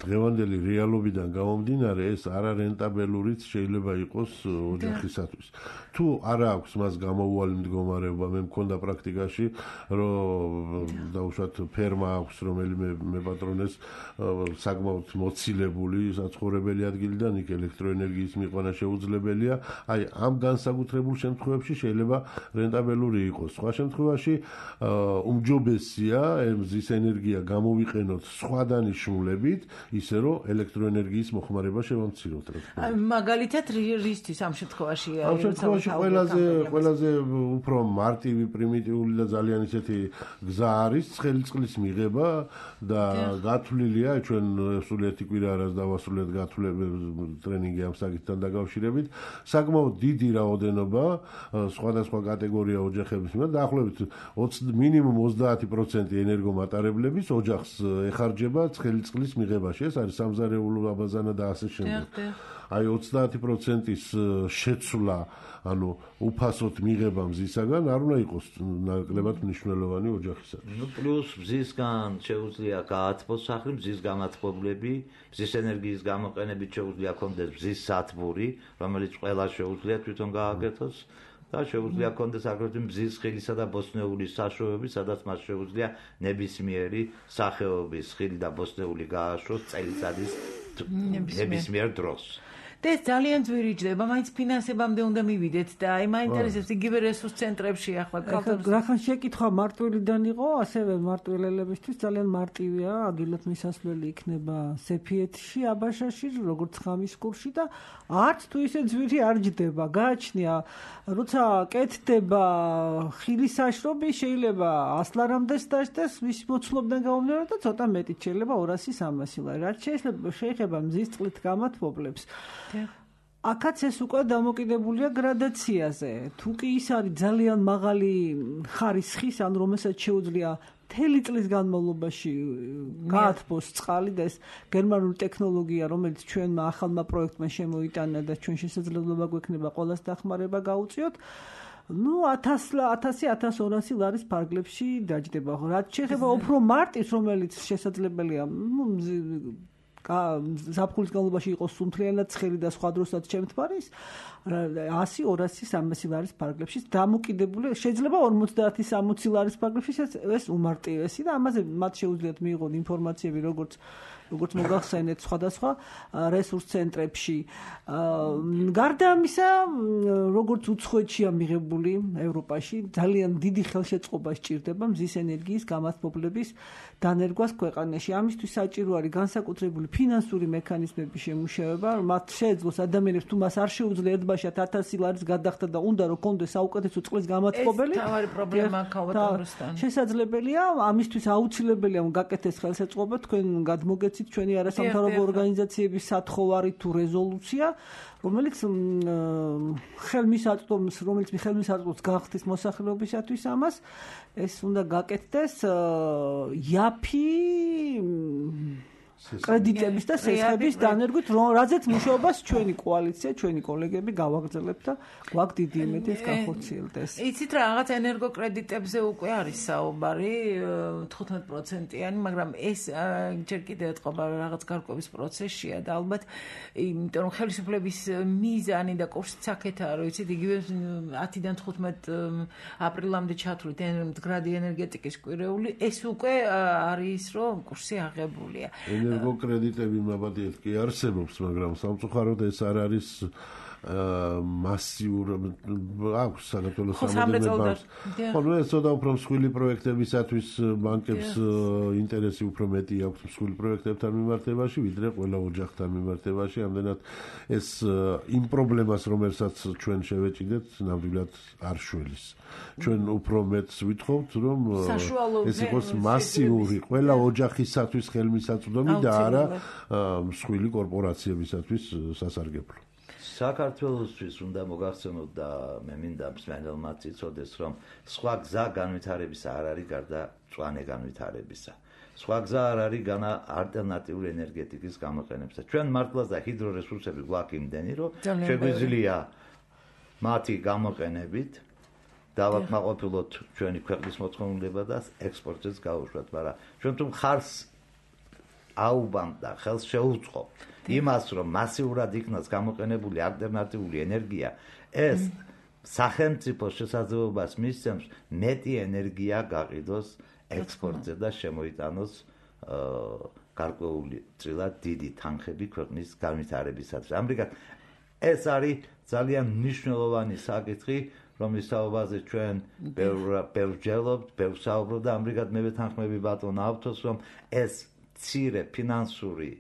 დღევანდელი რეალობიდან გამომდინარე ეს არარენტაბელურიც შეიძლება იყოს ოჯახისათვის. თუ არ აქვს მას გამოუვალი მდგომარეობა, მე მქონდა პრაქტიკაში, რომ დაუშვათ ფერმა აქვს, რომელიმე მეპატრონეს საკმაოდ მოცილებული საცხოვრებელი ადგილიდან იქ ელექტროენერგიის მიყვანა შეუძლებელია. აი ამ განსაკუთრებულ შემთხვევებში შეიძლება რენტაბელური იყოს. სხვა შემთხვევაში უმჯობესია მზის ენერგია გამოვიყენოთ სხვა დანიშნულებით, ისე რომ ელექტროენერგიის მოხმარება შევამციროთ. მაგალითად რისთვის ამ შემთხვევაში ამ შემთხვევაში ყველაზე ყველაზე უფრო მარტივი, პრიმიტიული და ძალიან ისეთი გზა არის ცხელი წყლის მიღება და გათვლილია, ჩვენ სულ ერთი კვირა არას დავასრულეთ გათვლები ტრენინგი ამ საკითხთან დაკავშირებით. საკმაოდ დიდი რაოდენობა სხვადასხვა კატეგორია ოჯახების მიმართ დაახლოებით მინიმუმ ოცდაათი პროცენტი ენერგომატარებლების ოჯახს ეხარჯება ცხელი წყლის მიღებაში. ეს არის სამზარეულო აბაზანა და ასე შემდეგ. აი ოცდაათი პროცენტის შეცვლა, ანუ უფასოდ მიღება მზისაგან არ უნდა იყოს ნაკლებად მნიშვნელოვანი ოჯახისათვის. ნუ პლუს მზისგან შეუძლია გაათბოს სახლი, მზის გამათბობლები, მზის ენერგიის გამოყენებით შეუძლია კონდეს მზის სათბური, რომელიც ყველა შეუძლია თვითონ გააკეთოს. და შეუძლია კონდეს აგრეთვე მზის ხილისა და ბოსტნეულის საშუალება, სადაც მას შეუძლია ნებისმიერი სახეობის ხილი და ბოსტნეული გააშროს წელიწადის ნებისმიერ დროს. და ეს ძალიან ძვირი ჯდება, მაინც ფინანსებამდე უნდა მივიდეთ და აი მაინტერესებს იგივე რესურს ცენტრებში ახლა რახან შეკითხვა მარტვილიდან იყო, ასევე მარტვილელებისთვის ძალიან მარტივია, ადვილად მისასვლელი იქნება სეფიეთში, აბაშაში, როგორც ხამისკურში და არც თუ ისე ძვირი არ ჯდება. გააჩნია, როცა კეთდება ხილის საშრობი, შეიძლება ასლარამდეც დაждდეს, მის მოცულობიდან გამომდინარე და ცოტა მეტი შეიძლება ორასი სამასი. რაც შეიძლება შეეხება მზის წყლით გამათბობლებს. აქაც ეს უკვე დამოკიდებულია გრადაციაზე. თუ კი ის არის ძალიან მაღალი ხარისხის, ან რომელსაც შეუძლია მთელი წლის განმავლობაში გაათბოს წყალი და ეს გერმანული ტექნოლოგია, რომელიც ჩვენმა ახალმა პროექტმა შემოიტანა და ჩვენ შესაძლებლობა გვექნება ყველას დახმარება გაუწიოთ. Ну, ათასი ათას ორასი ლარის ფარგლებში დაჯდება. რაც შეეხება უფრო მარტის, რომელიც შესაძლებელია, ну, ზაფხულის განმავლობაში იყოს სუნთლიანად ცხელი და სხვა დროსაც შემთხვარის ასი ორასი სამასი ლარის ფარგლებში დამოკიდებული შეიძლება ორმოცდაათი სამოცი ლარის ფარგლებში ეს უმარტივესი და ამაზე მათ შეუძლიათ მიიღონ ინფორმაციები როგორც როგორც მოგახსენეთ სხვადასხვა რესურს ცენტრებში. გარდა ამისა, როგორც უცხოეთშია მიღებული ევროპაში, ძალიან დიდი ხელშეწყობა სჭირდება მზის ენერგიის გამართლების დანერგვას ქვეყანაში. ამისთვის საჭირო არის განსაკუთრებული ფინანსური მექანიზმების შემუშავება, მათ შეეძლოს ადამიანებს თუ მას არ შეუძლია ერთბაშად ათასი ლარის გადახდა და უნდა რომ კონდეს საუკეთესო წყლის გამათბობელი. ეს თავარი პრობლემა ქავატონროსთან. შესაძლებელია, ამისთვის აუცილებელია გაკეთდეს ხელშეწყობა, თქვენ გადმოგეცით ჩვენი არასამთავრობო ორგანიზაციების სათხოვარი თუ რეზოლუცია, რომელიც ხელმისაწვდომს, რომელიც ხელმისაწვდომს გახდის მოსახლეობისათვის ამას, ეს უნდა გაკეთდეს იაფი კრედიტების და სესხების დანერგვით, რაზეც მუშაობას ჩვენი კოალიცია, ჩვენი კოლეგები გავაგრძელებთ და გვაქვს დიდი იმედი ეს განხორციელდეს. იცით რა, რაღაც ენერგოკრედიტებზე უკვე არის საუბარი თხუთმეტ პროცენტიანი, მაგრამ ეს ჯერ კიდევ ეთყობა რაღაც გარკვევის პროცესშია და ალბათ იმიტომ რომ ხელისუფლების მიზანი და კურსიც აქეთაა, რომ იცით, იგივე ათიდან თხუთმეტ აპრილამდე ჩათვლით მდგრადი ენერგეტიკის კვირეული, ეს უკვე არის რომ კურსი აღებულია. ენერგოკრედიტები მაბადიეთ კი არსებობს, მაგრამ სამწუხაროდ ეს არ არის მასიურ აქვს საქართველოს სამომავლობას. ხოლო ეს ცოტა უფრო მსხვილი პროექტებისათვის ბანკებს ინტერესი უფრო მეტი აქვს მსხვილი პროექტებთან მიმართებაში, ვიდრე ყველა ოჯახთან მიმართებაში. ამდენად ეს იმ პრობლემას, რომელსაც ჩვენ შევეჭიდეთ, ნამდვილად არ შველის. ჩვენ უფრო მეტს ვითხოვთ, რომ ეს იყოს მასიური ყველა ოჯახისათვის ხელმისაწვდომი და არა მსხვილი კორპორაციებისათვის სასარგებლო. საქართველოსთვის უნდა მოგახსენოთ და მე მინდა მსმენელმაც იცოდეს, რომ სხვა გზა განვითარებისა არ არის გარდა მწვანე განვითარებისა. სხვა გზა არ არის განა ალტერნატიული ენერგეტიკის გამოყენებისა. ჩვენ მართლაც და ჰიდრორესურსები გვაქვს იმდენი, რომ შეგვიძლია მათი გამოყენებით დავაკმაყოფილოთ ჩვენი ქვეყნის მოწყობილება და ექსპორტზეც გავუშვათ, მაგრამ ჩვენ თუ ხარს აუბამთ და ხელს შეუწყობთ იმას, რომ მასიურად იქნას გამოყენებული ალტერნატიული ენერგია, ეს სახელმწიფო შესაძლებლობას მისცემს მეტი ენერგია გაყიდოს ექსპორტზე და შემოიტანოს გარკვეული წილად დიდი თანხები ქვეყნის განვითარებისათვის. ამრიგად ეს არის ძალიან მნიშვნელოვანი საკითხი, რომლის საუბარზე ჩვენ ბევრ ვჯელობთ, ბევრ საუბრობთ და ამრიგად მე ვეთანხმები ბატონ ავთოს, რომ ეს მცირე ფინანსური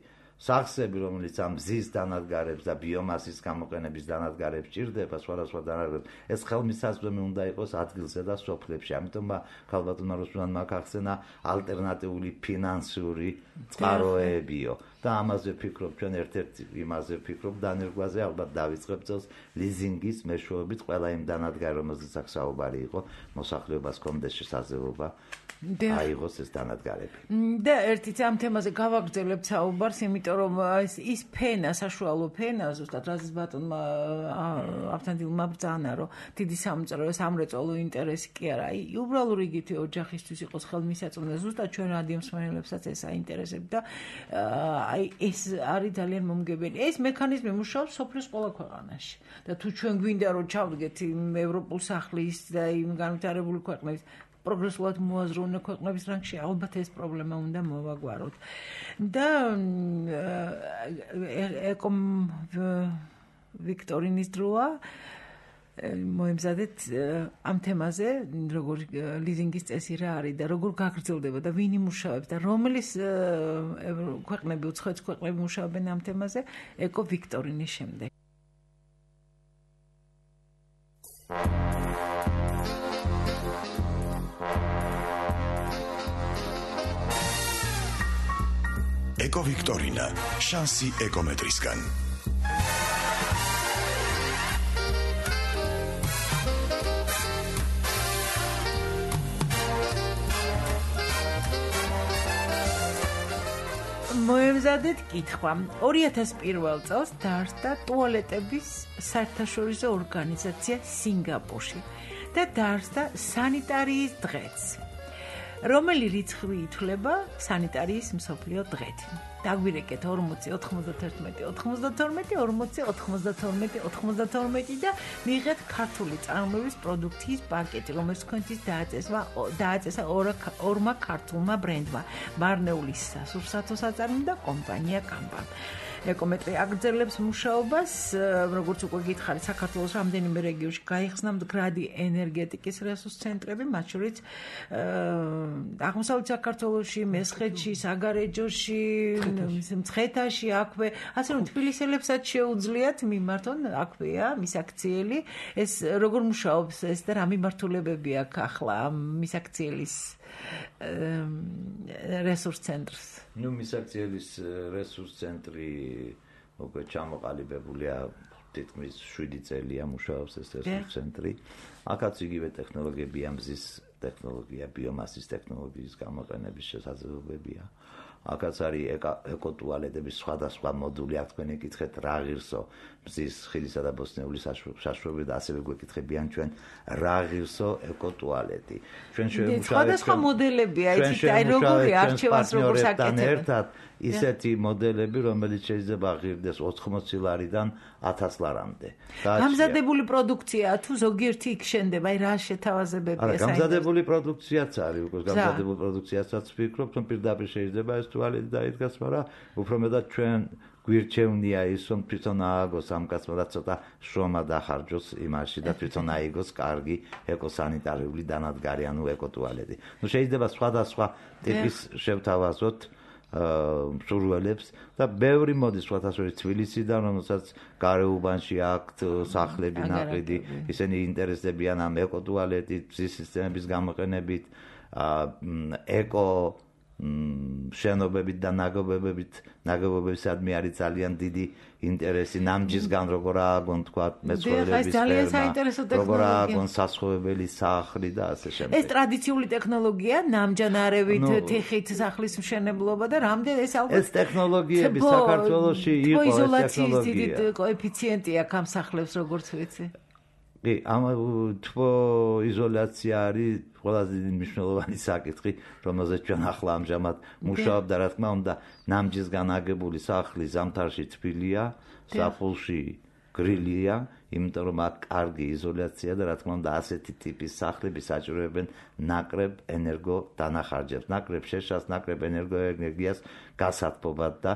სახსები, რომელიც ამ მზის დანადგარებს და ბიომასის გამოყენების დანადგარებს ჭირდება, სხვადასხვა დანადგარებს, ეს ხელმისაწვდომი უნდა იყოს ადგილზე და სოფლებში. ამიტომ ქალბატონმა რუსლანმა ახსენა ალტერნატიული ფინანსური წყაროებიო და ამაზე ვფიქრობ, ჩვენ ერთ-ერთი იმაზე ვფიქრობ, დანერგვაზე ალბათ დავიწყებ წელს ლიზინგის მეშვეობით ყველა იმ დანადგარი, რომელზეც აქ საუბარი იყო, მოსახლეობას კონდეს შესაძლებლობა აიღოს ეს დანადგარები. და ერთიც ამ თემაზე გავაგრძელებთ საუბარს, იმიტომ რომ ის ის ფენა, საშუალო ფენა, ზუსტად რაზეც ბატონმა ავთანდილმა ბრძანა, რომ დიდი სამწრო სამრეწველო ინტერესი კი არა, აი უბრალოდ იგივე ოჯახისთვის იყოს ხელმისაწვდომი, ზუსტად ჩვენ რადიო მსმენელებსაც ეს აინტერესებს და აი ეს არის ძალიან მომგებელი. ეს მექანიზმი მუშაობს სოფლის ყველა ქვეყანაში. და თუ ჩვენ გვინდა რომ ჩავდგეთ იმ ევროპულ სახლის და იმ განვითარებული ქვეყნების პროგრესულად მოაზროვნე ქვეყნების რანგში, ალბათ ეს პრობლემა უნდა მოვაგვაროთ. და ეკომ ვიქტორინის დროა მოემზადეთ ამ თემაზე, როგორ ლიზინგის წესი რა არის და როგორ გაგრძელდება და ვინ იმუშავებს და რომლის ქვეყნები, უცხოეთ ქვეყნები მუშაობენ ამ თემაზე, ეკო ვიქტორინის შემდეგ. ეკო ვიქტორინა, შანსი ეკომეტრისგან. მოემზადეთ კითხვა. ორი ათას პირველ წელს დაარსდა ტუალეტების საერთაშორისო ორგანიზაცია სინგაპურში და დაარსდა სანიტარიის დღეც, რომელი რიცხვი ითვლება სანიტარიის მსოფლიო დღედ. დაგვირეკეთ ორმოცი, ოთხმოცდათერთმეტი, ოთხმოცდათორმეტი, ორმოცი, ოთხმოცდათორმეტი, ოთხმოცდათორმეტი და მიიღეთ ქართული წარმოების პროდუქციის პაკეტი, რომელიც თქვენთვის დააწესა დააწესა ორმა ქართულმა ბრენდმა: მარნეულის სასურსათო საწარმო და კომპანია კამპა. ეკომეტრი აგრძელებს მუშაობას, როგორც უკვე გითხარით, საქართველოს რამდენიმე რეგიონში გაიხსნა მდგრადი ენერგეტიკის რესურს ცენტრები, მათ შორის აღმოსავლეთ საქართველოში, მესხეთში, საგარეჯოში, მცხეთაში, აქვე, ასე რომ თბილისელებსაც შეუძლიათ მიმართონ, აქვეა მისაქციელი. ეს როგორ მუშაობს ეს და რა მიმართულებები აქვს ახლა მისაქციელის რესურს ცენტრს? ნუ მისაქციელის რესურს ცენტრი უკვე ჩამოყალიბებულია, თითქმის შვიდი წელია მუშაობს ეს რესურს ცენტრი. აქაც იგივე ტექნოლოგიებია, მზის ტექნოლოგია, ბიომასის ტექნოლოგიის გამოყენების შესაძლებლობებია. აქაც არის ეკოტუალეტების სხვადასხვა მოდული, აქ თქვენ ეკითხეთ რა ღირსო მზის, ხილისა და ბოსტნეულის საშუალებით და ასევე გვეკითხებიან ჩვენ რა ღირსო ეკოტუალეტი. ჩვენ შევმუშავებთ სხვადასხვა მოდელებია, იცით, აი როგორი არჩევანს როგორ საკეთებთ. ისეთი მოდელები, რომელიც შეიძლება ღირდეს ოთხმოცი ლარიდან ათას ლარამდე. გამზადებული პროდუქციაა თუ ზოგიერთი იქ შენდება, აი რა შეთავაზებებია საერთოდ? გამზადებული პროდუქციაც არის, უკვე გამზადებული პროდუქციასაც ვფიქრობ, რომ პირდაპირ შეიძლება ეს ტუალეტი დაიდგას, მაგრამ უფრო მეტად ჩვენ გვირჩევნია ის, რომ თვითონ ააგოს ამ კაცმა და ცოტა შრომა დახარჯოს იმაში და თვითონ აიგოს კარგი ეკოსანიტარიული დანადგარი, ანუ ეკოტუალეტი. ნუ შეიძლება სხვადასხვა ტიპის შევთავაზოთ მსურველებს და ბევრი მოდის სხვადასხვა თბილისიდან, რომელსაც გარეუბანში აქვთ სახლები ნაყიდი, ისინი ინტერესდებიან ამ ეკოტუალეტით, მზის სისტემების გამოყენებით, ეკო შენობებით და ნაგებობებით, ნაგებობებისადმი არის ძალიან დიდი ინტერესი, ნამჯისგან როგორ ააგონ, თქვა, მეცხოველების ფერმა, როგორ ააგონ სასხოვებელი სახლი და ასე შემდეგ. ეს ტრადიციული ტექნოლოგია, ნამჯანარებით, თიხით სახლის მშენებლობა და რამდენ ეს ალბათ ეს ტექნოლოგიები საქართველოში იყო ეს იზოლაციის დიდი კოეფიციენტი აქვს ამ სახლებს, როგორც ვიცი. კი, ამ თბო იზოლაცია არის ყველაზე მნიშვნელოვანი საკითხი, რომელზეც ჩვენ ახლა ამჟამად მუშაობთ და რა თქმა უნდა, ნამჯისგან აგებული სახლი ზამთარში თბილია, ზაფხულში გრილია, იმიტომ რომ აქ კარგი იზოლაცია და რა თქმა უნდა, ასეთი ტიპის სახლები საჭიროებენ ნაკრებ ენერგო დანახარჯებს, ნაკრებ შეშას, ნაკრებ ენერგოენერგიას გასათბობად და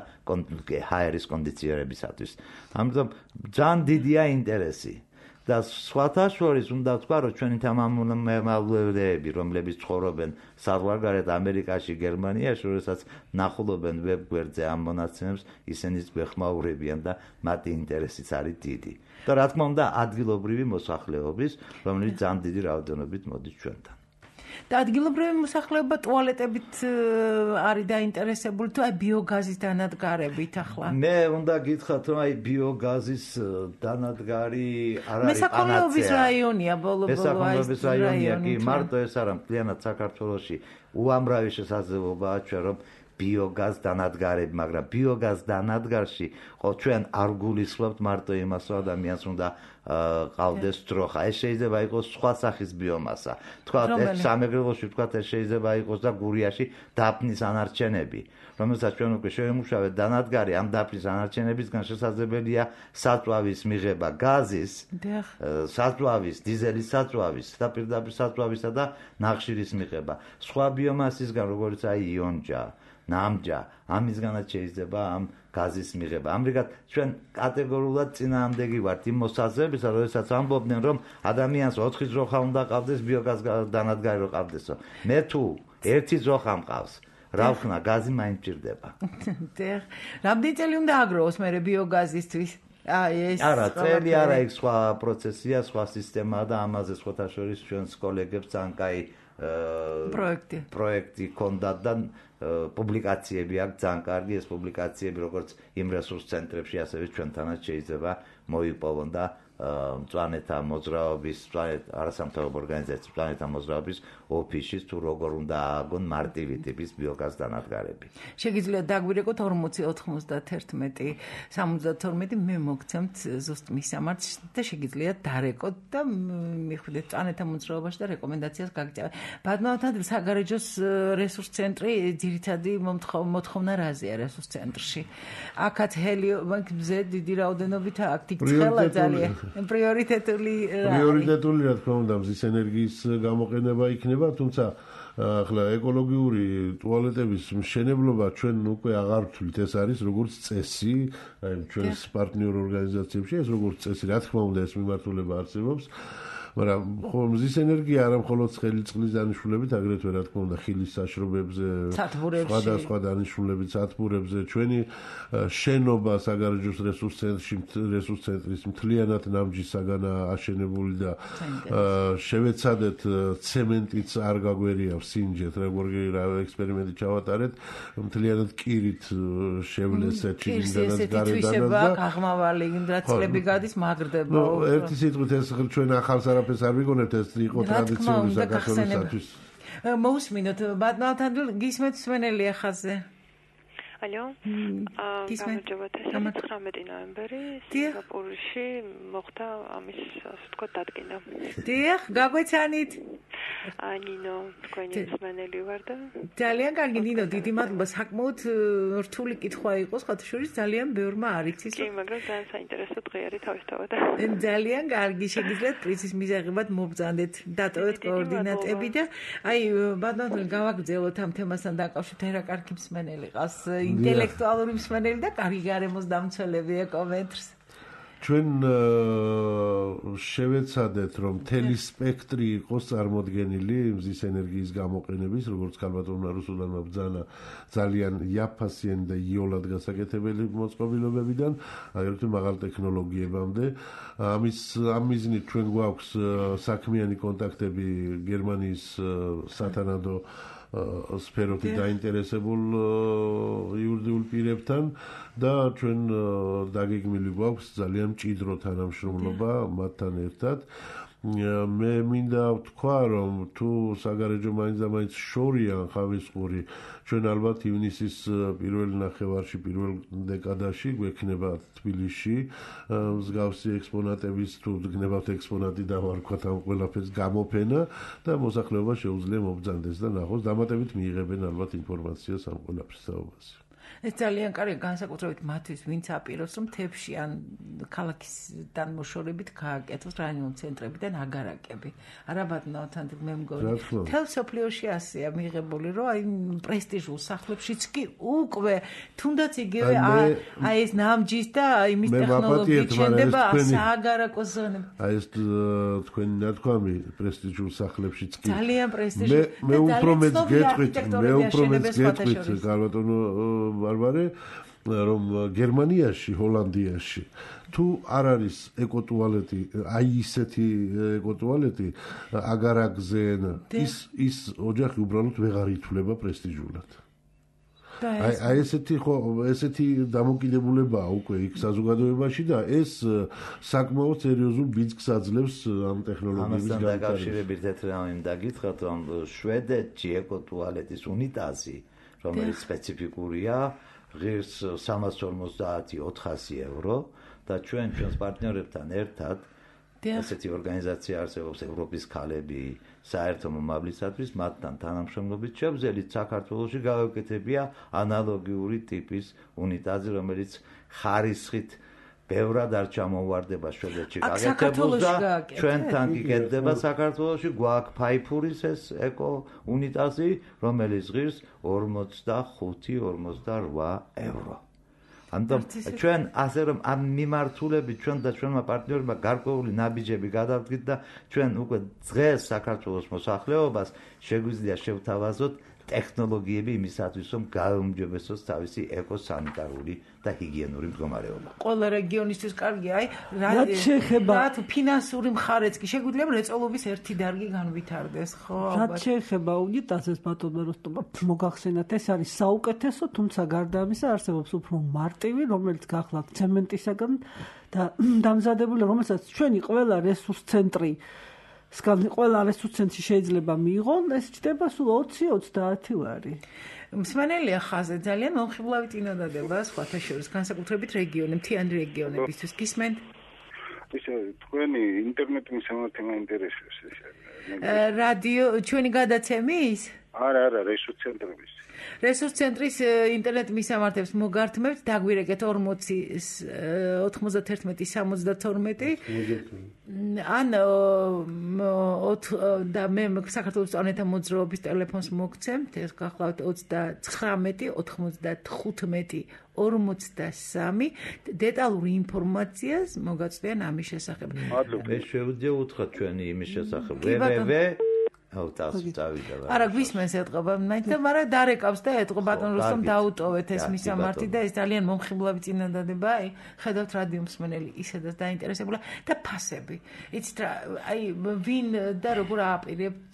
ჰაერის კონდიციონირებისათვის. ამიტომ ძალიან დიდია ინტერესი. და სხვათა შორის უნდა ვთქვა, რომ ჩვენი თანამემამულეები, რომლებიც ცხოვრობენ საზღვარგარეთ ამერიკაში, გერმანიაში, როდესაც ნახულობენ ვებ გვერდზე ამ მონაცემებს, ისინიც გვეხმაურებიან და მათი ინტერესიც არის დიდი. და რა თქმა უნდა, ადგილობრივი მოსახლეობის, რომელიც ძალიან დიდი რაოდენობით მოდის ჩვენთან. და ადგილობრივი მოსახლეობა ტუალეტებით არის დაინტერესებული თუ აი ბიოგაზის დანადგარებით ახლა? მე უნდა გითხრათ, რომ აი ბიოგაზის დანადგარი არ არის მესაქონლეობის რაიონია ბოლო-ბოლო აი მესაქონლეობის რაიონია კი, მარტო ეს არა, მთლიანად საქართველოში უამრავი შესაძლებლობაა ჩვენ რომ ბიოგაზ დანადგარები, მაგრამ ბიოგაზ დანადგარში ხო ჩვენ არ გულისხმობთ მარტო იმას, რომ ადამიანს უნდა ყავდეს დროხა. ეს შეიძლება იყოს სხვა სახის ბიომასა. თქვა ეს სამეგრელოში თქვა ეს შეიძლება იყოს და გურიაში დაფნის ანარჩენები, რომელსაც ჩვენ უკვე შევემუშავეთ დანადგარი ამ დაფნის ანარჩენებისგან შესაძლებელია საწვავის მიღება გაზის, საწვავის, დიზელის საწვავის და პირდაპირ საწვავისა და ნახშირის მიღება. სხვა ბიომასისგან, როგორც აი იონჯა, ნამჯა, ამისგანაც შეიძლება ამ გაზის მიღება. ამრიგად ჩვენ კატეგორიულად წინააღმდეგი ვართ იმ მოსაზრებისა, როდესაც ამბობდნენ, რომ ადამიანს ოთხი ძროხა უნდა ყავდეს ბიოგაზ დანადგარი რო ყავდესო. მე თუ ერთი ძროხა მყავს, რა ვქნა, გაზი მაინც მჭირდება. დიახ. რამდენი წელი უნდა აგროვოს მე ბიოგაზისთვის? აი ეს არა, წელი არა, იქ სხვა პროცესია, სხვა სისტემაა და ამაზე სხვათა შორის ჩვენს კოლეგებს ძალიან კაი პროექტი პროექტი ქონდათ და პუბლიკაციები აქვს ძალიან კარგი ეს პუბლიკაციები როგორც იმ რესურს ცენტრებში ასევე ჩვენთანაც შეიძლება მოიპოვონ და მწვანეთა მოძრაობის არასამთავრობო ორგანიზაციის მწვანეთა მოძრაობის ოფისში თუ როგორ უნდა ააგონ მარტივი ტიპის ბიოგაზ დანადგარები. შეგიძლიათ დაგვირეკოთ ორმოცი ოთხმოცდაათი სამოცდათორმეტი მე მოგცემთ ზუსტ მისამართს და შეგიძლიათ დარეკოთ და მიხვდეთ მწვანეთა მოძრაობაში და რეკომენდაციას გაგიწევთ. ბატონო საგარეჯოს რესურს ცენტრი ძირითადი მოთხოვნა რაზეა რესურს ცენტრში. აქაც ჰელიომზე დიდი რაოდენობით აქ თხელა ძალიან პრიორიტეტული პრიორიტეტული რა თქმა უნდა მზის ენერგიის გამოყენება იქნება, თუმცა ახლა ეკოლოგიური ტუალეტების მშენებლობა ჩვენ უკვე აღარ ვთვლით, ეს არის როგორც წესი, აი ჩვენს პარტნიორ ორგანიზაციებში ეს როგორც წესი, რა თქმა უნდა ეს მიმართულება არსებობს. მაგრამ მზის ენერგია არა მხოლოდ ცხელი წყლის დანიშნულებით, აგრეთვე რა თქმა უნდა ხილის საშრობებზე, სხვადასხვა დანიშნულებით სათბურებზე, ჩვენი შენობა საგარეჯოს რესურს ცენტრში, რესურს ცენტრის მთლიანად ნამჯისაგან აშენებული და შევეცადეთ ცემენტიც არ გაგვერიავს სინჯეთ, როგორი რა ექსპერიმენტი ჩავატარეთ, მთლიანად კირით შევლესეთ შიგნიდანაც გარედანაც და გაღმავალი, რაც წლები გადის მაგრდება. ნუ ერთი სიტყვით ეს ჩვენ ახალს არაფერს არ ვიგონებთ, ეს იყო ტრადიციული საქართველოსთვის. მოусმინოთ ბატონო გისმენთ სვენელია ხაზზე. ალო. გამარჯობათ, ცხრამეტი ნოემბერი სინგაპურში მოხდა ამის ასე ვთქვათ დადგენა. დიახ, გაგვეცანით. ანინო, თქვენი მსმენელი ვარ და ძალიან კარგი ნინო, დიდი მადლობა, საკმაოდ რთული კითხვა იყო, სხვათა შორის ძალიან ბევრმა არ იცის. კი, მაგრამ ძალიან საინტერესო დღე არის თავისთავად. ძალიან კარგი, შეგიძლიათ პრინცის მიზაღებად მობრძანდეთ, დატოვეთ კოორდინატები და აი ბატონო გავაგრძელოთ ამ თემასთან დაკავშირებით, რა კარგი მსმენელი ყავს. ინტელექტუალური მსმენელი და კარგი გარემოს დამცველები ეკომეტრს. ჩვენ შევეცადეთ რომ მთელი სპექტრი იყოს წარმოდგენილი მზის ენერგიის გამოყენების, როგორც ქალბატონმა რუსულანმა ბრძანა ძალიან იაფასიანი და იოლად გასაკეთებელი მოწყობილობებიდან, აგრეთვე მაღალ ტექნოლოგიებამდე. ამის ამ მიზნით ჩვენ გვაქვს საქმიანი კონტაქტები გერმანიის სათანადო სფეროთი დაინტერესებულ იურიდიულ პირებთან და ჩვენ დაგეგმილი გვაქვს ძალიან მჭიდრო თანამშრომლობა მათთან ერთად. მე მინდა ვთქვა, რომ თუ საგარეჯო მაინც და მაინც შორიან ხავისყური, ჩვენ ალბათ ივნისის პირველ ნახევარში, პირველ დეკადაში გვექნება თბილისში მსგავსი ექსპონატების თუ გნებავთ ექსპონატი და ვარქვათ ამ ყველაფერს გამოფენა და მოსახლეობა შეუძლია მობრძანდეს და ნახოს, დამატებით მიიღებენ ალბათ ინფორმაციას ამ ყველაფრის თაობაზე. ეს ძალიან კარგი განსაკუთრებით მათთვის, ვინც აპირებს რომ თებში ან ქალაქისთან მოშორებით გააკეთოს რაიონულ ცენტრებიდან აგარაკები. არა ბატონო, თან მე მგონი. თელ სოფლიოში ასეა მიღებული, რომ აი პრესტიჟულ სახლებშიც კი უკვე თუნდაც იგივე აი ეს ნამჯის და იმის ტექნოლოგიით შენდება სააგარაკო ზონები. აი ეს თქვენი ნათქვამი პრესტიჟულ სახლებშიც კი. ძალიან პრესტიჟული. მე უფრო მეც გეტყვით, მე უფრო მეც გეტყვით, ბატონო ბარბარე, რომ გერმანიაში, ჰოლანდიაში თუ არ არის ეკოტუალეტი, აი ისეთი ეკოტუალეტი აგარაკზენ, ის ის ოჯახი უბრალოდ ვეღარ ითვლება პრესტიჟულად. აი აი ესეთი ხო ესეთი დამოკიდებულებაა უკვე იქ საზოგადოებაში და ეს საკმაოდ სერიოზულ ბიძგს აძლევს ამ ტექნოლოგიების გამოცდილებას. ამასთან დაკავშირებით ერთ რამე დაგითხრათ, რომ შვედეთში ეკოტუალეტის უნიტაზი, რომელიც სპეციფიკურია, ღირს სამას ორმოცდაათი ოთხასი ევრო და ჩვენ ჩვენს პარტნიორებთან ერთად ესეთი ორგანიზაცია არსებობს ევროპის ქალები საერთო მომავლისათვის, მათთან თანამშრომლობით შევძელით საქართველოში გავეკეთებია ანალოგიური ტიპის უნიტაზი, რომელიც ხარისხით ბევრად არ ჩამოვარდება შვედეთში გაკეთებულს და ჩვენთან გიკეთდება საქართველოში. გვაქვს ფაიფურის ეს ეკო უნიტაზი, რომელიც ღირს ორმოცდახუთი ორმოცდარვა ევრო. ამიტომ ჩვენ ასე რომ ამ მიმართულებით ჩვენ და ჩვენმა პარტნიორებმა გარკვეული ნაბიჯები გადავდგით და ჩვენ უკვე დღეს საქართველოს მოსახლეობას შეგვიძლია შევთავაზოთ ტექნოლოგიები იმისათვის, რომ გაუმჯობესოს თავისი ეკოსანიტარული და ჰიგიენური მდგომარეობა. ყველა რეგიონისთვის კარგია, აი, რაც შეეხება რა ფინანსური მხარეც კი შეგვიძლია მრეწველობის ერთი დარგი განვითარდეს, ხო? რაც შეეხება უნიტაზებს ბატონო როსტომმა მოგახსენათ, ეს არის საუკეთესო, თუმცა გარდა ამისა არსებობს უფრო მარტივი, რომელიც გახლავთ ცემენტისაგან და დამზადებული, რომელსაც ჩვენი ყველა რესურს ცენტრი სკან ყველა რესურს ცენტრი შეიძლება მიიღონ, ეს ჩდება სულ ოცი ოცდაათი ლარი. მსმენელია ხაზზე ძალიან მომხიბლავი წინადადება სხვათა შორის განსაკუთრებით რეგიონი, მთიანი რეგიონებისთვის გისმენთ? ისე თქვენი ინტერნეტი მისამართი მაინტერესებს ეს. რადიო ჩვენი გადაცემის? არა, არა, რესურს ცენტრების. რესურს ცენტრის ინტერნეტ მისამართებს მოგართმევთ, დაგვირეკეთ ორმოცი ოთხმოცდაერთმეტი სამოცდათორმეტი ან და მე საქართველოს წონეთა მოძრაობის ტელეფონს მოგცემთ, ეს გახლავთ ოცდაცხრამეტი ოთხმოცდათხუთმეტი ორმოცდასამი დეტალური ინფორმაციას მოგაწვდიან ამის შესახებ. ეს შეუძლია უთხრათ ჩვენი იმის შესახებ www აუ თავს წავიდა. არა გვისმენს ეთყობა, მაგრამ დარეკავს და ეთყობა ბატონ რუსტომ დაუტოვეთ ეს მისამართი და ეს ძალიან მომხიბლავი წინადადება, აი ხედავთ რადიო მსმენელი ისედაც დაინტერესებულა და ფასები. იცით რა, აი ვინ და როგორ ააპირებთ,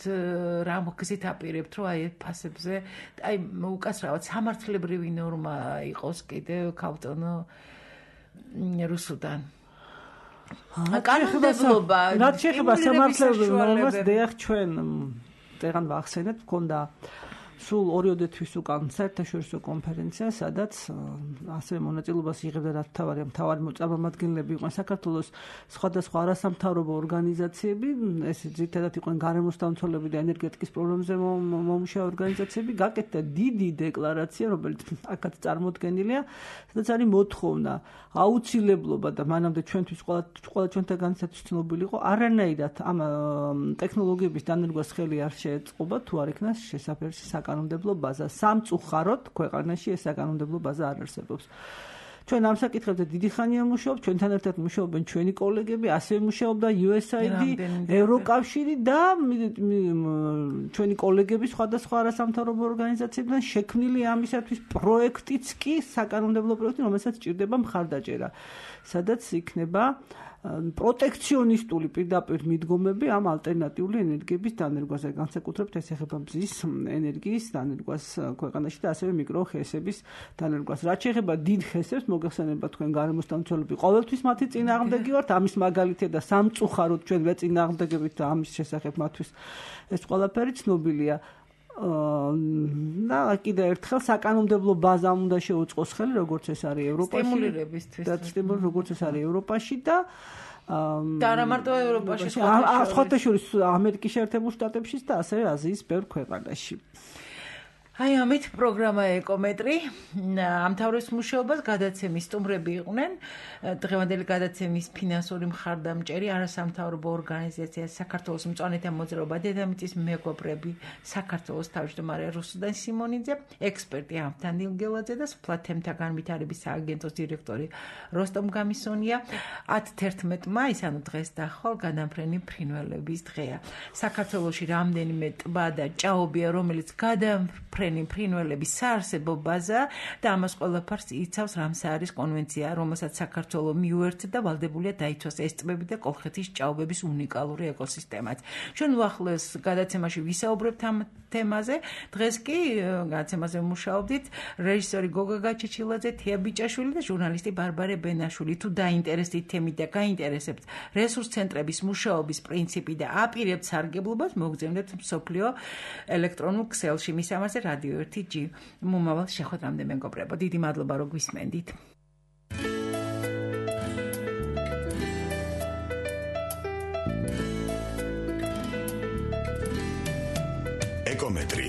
რა მოგზით აპირებთ, რომ აი ფასებზე, აი უკაცრავად სამართლებრივი ნორმა იყოს კიდევ ქავტონო რუსუდან. კანონმდებლობა რაც შეეხება სამართლებრივ ნორმას დიახ ჩვენ დღეს ვახსენეთ მქონდა სულ ორიოდე თვის უკან საერთაშორისო კონფერენცია სადაც ასევე მონაწილეობას იღებდა რა თავარია მთავარი წარმომადგენლები იყვნენ საქართველოს სხვადასხვა არასამთავრობო ორგანიზაციები ეს ძირითადად იყვნენ გარემოს დამცველები და ენერგეტიკის პრობლემებზე მომუშავე ორგანიზაციები გაკეთდა დიდი დეკლარაცია რომელიც აქაც წარმოდგენილია სადაც არის მოთხოვნა აუცილებლობა და მანამდე ჩვენთვის ყველა ყველა ჩვენთაგანაც ცნობილი იყო არანაირად ამ ტექნოლოგიების დანერგვას ხელი არ შეეწყობა თუ არ იქნას შესაფერისი საკანონმდებლო ბაზა სამწუხაროდ ქვეყანაში ეს საკანონმდებლო ბაზა არ არსებობს. ჩვენ ამ საკითხებზე დიდი ხანია მუშაობთ, ჩვენთან ერთად მუშაობენ ჩვენი კოლეგები, ასევე მუშაობდა იუ ეს აი დი, ევროკავშირი და ჩვენი კოლეგები სხვადასხვა არასამთავრობო ორგანიზაციებიდან შექმნილი ამისათვის პროექტიც კი საკანონმდებლო პროექტი, რომელსაც ჭირდება მხარდაჭერა. სადაც იქნება პროტექციონისტული პირდაპირ მიდგომები ამ ალტერნატიული ენერგიების დანერგვაზე, განსაკუთრებით ეს ეხება მზის ენერგიის დანერგვას ქვეყანაში და ასევე მიკროხესების დანერგვას. რაც შეეხება დიდ ხესებს, მოგეხსენება თქვენ გარემოს დამცველები ყოველთვის მათი წინააღმდეგი ვართ, ამის მაგალითია და სამწუხაროდ ჩვენ ვეწინააღმდეგებით და ამის შესახებ მათთვის ეს ყველაფერი ცნობილია. და კიდევ ერთხელ საკანონმდებლო ბაზა უნდა შეუწყოს ხელი, როგორც ეს არის ევროპაში. სტიმულირებისთვის. და სტიმულ როგორც ეს არის ევროპაში და და არა მარტო ევროპაში, სხვათა შორის ამერიკის შეერთებულ შტატებშიც და ასევე აზიის ბევრ ქვეყანაში. აი ამით პროგრამა ეკომეტრი ამთავრებს მუშაობას გადაცემის სტუმრები იყვნენ დღევანდელი გადაცემის ფინანსური მხარდამჭერი არასამთავრობო ორგანიზაცია საქართველოს მწვანეთა მოძრაობა დედამიწის მეგობრები საქართველოს თავმჯდომარე რუსუდან სიმონიძე ექსპერტი ამთან დილგელაძე და სოფლა თემთა განვითარების სააგენტოს დირექტორი როსტომ გამისონია ათი თერთმეტი მაისი ანუ დღეს დახვალ გადამფრენი ფრინველების დღეა საქართველოში რამდენიმე ტბა და ჭაობია რომელიც გადამფრენი ფრინველების საარსებო ბაზა და ამას ყველაფერს იცავს რამსაარის კონვენცია, რომელსაც საქართველო მიუერთდა და ვალდებულია დაიცვას ეს ტბები და კოლხეთის ჭაობების უნიკალური ეკოსისტემაც. ჩვენ უახლოეს გადაცემაში ვისაუბრებთ ამ თემაზე. დღეს კი გადაცემაზე მუშაობდით რეჟისორი გოგა გაჩეჩილაძე, თია ბიჭაშვილი და ჟურნალისტი ბარბარე ბენაშვილი. თუ დაინტერესდით თემით და გაინტერესებთ რესურს ცენტრების მუშაობის პრინციპი და აპირებთ სარგებლობას, მოგზავნეთ მსოფლიო ელექტრონულ ქსელში. მის ამაზე რადიო ერთი ჯი მომავალ შეხვედრამდე მეგობრებო დიდი მადლობა რომ გვისმენდით ეკომეტრი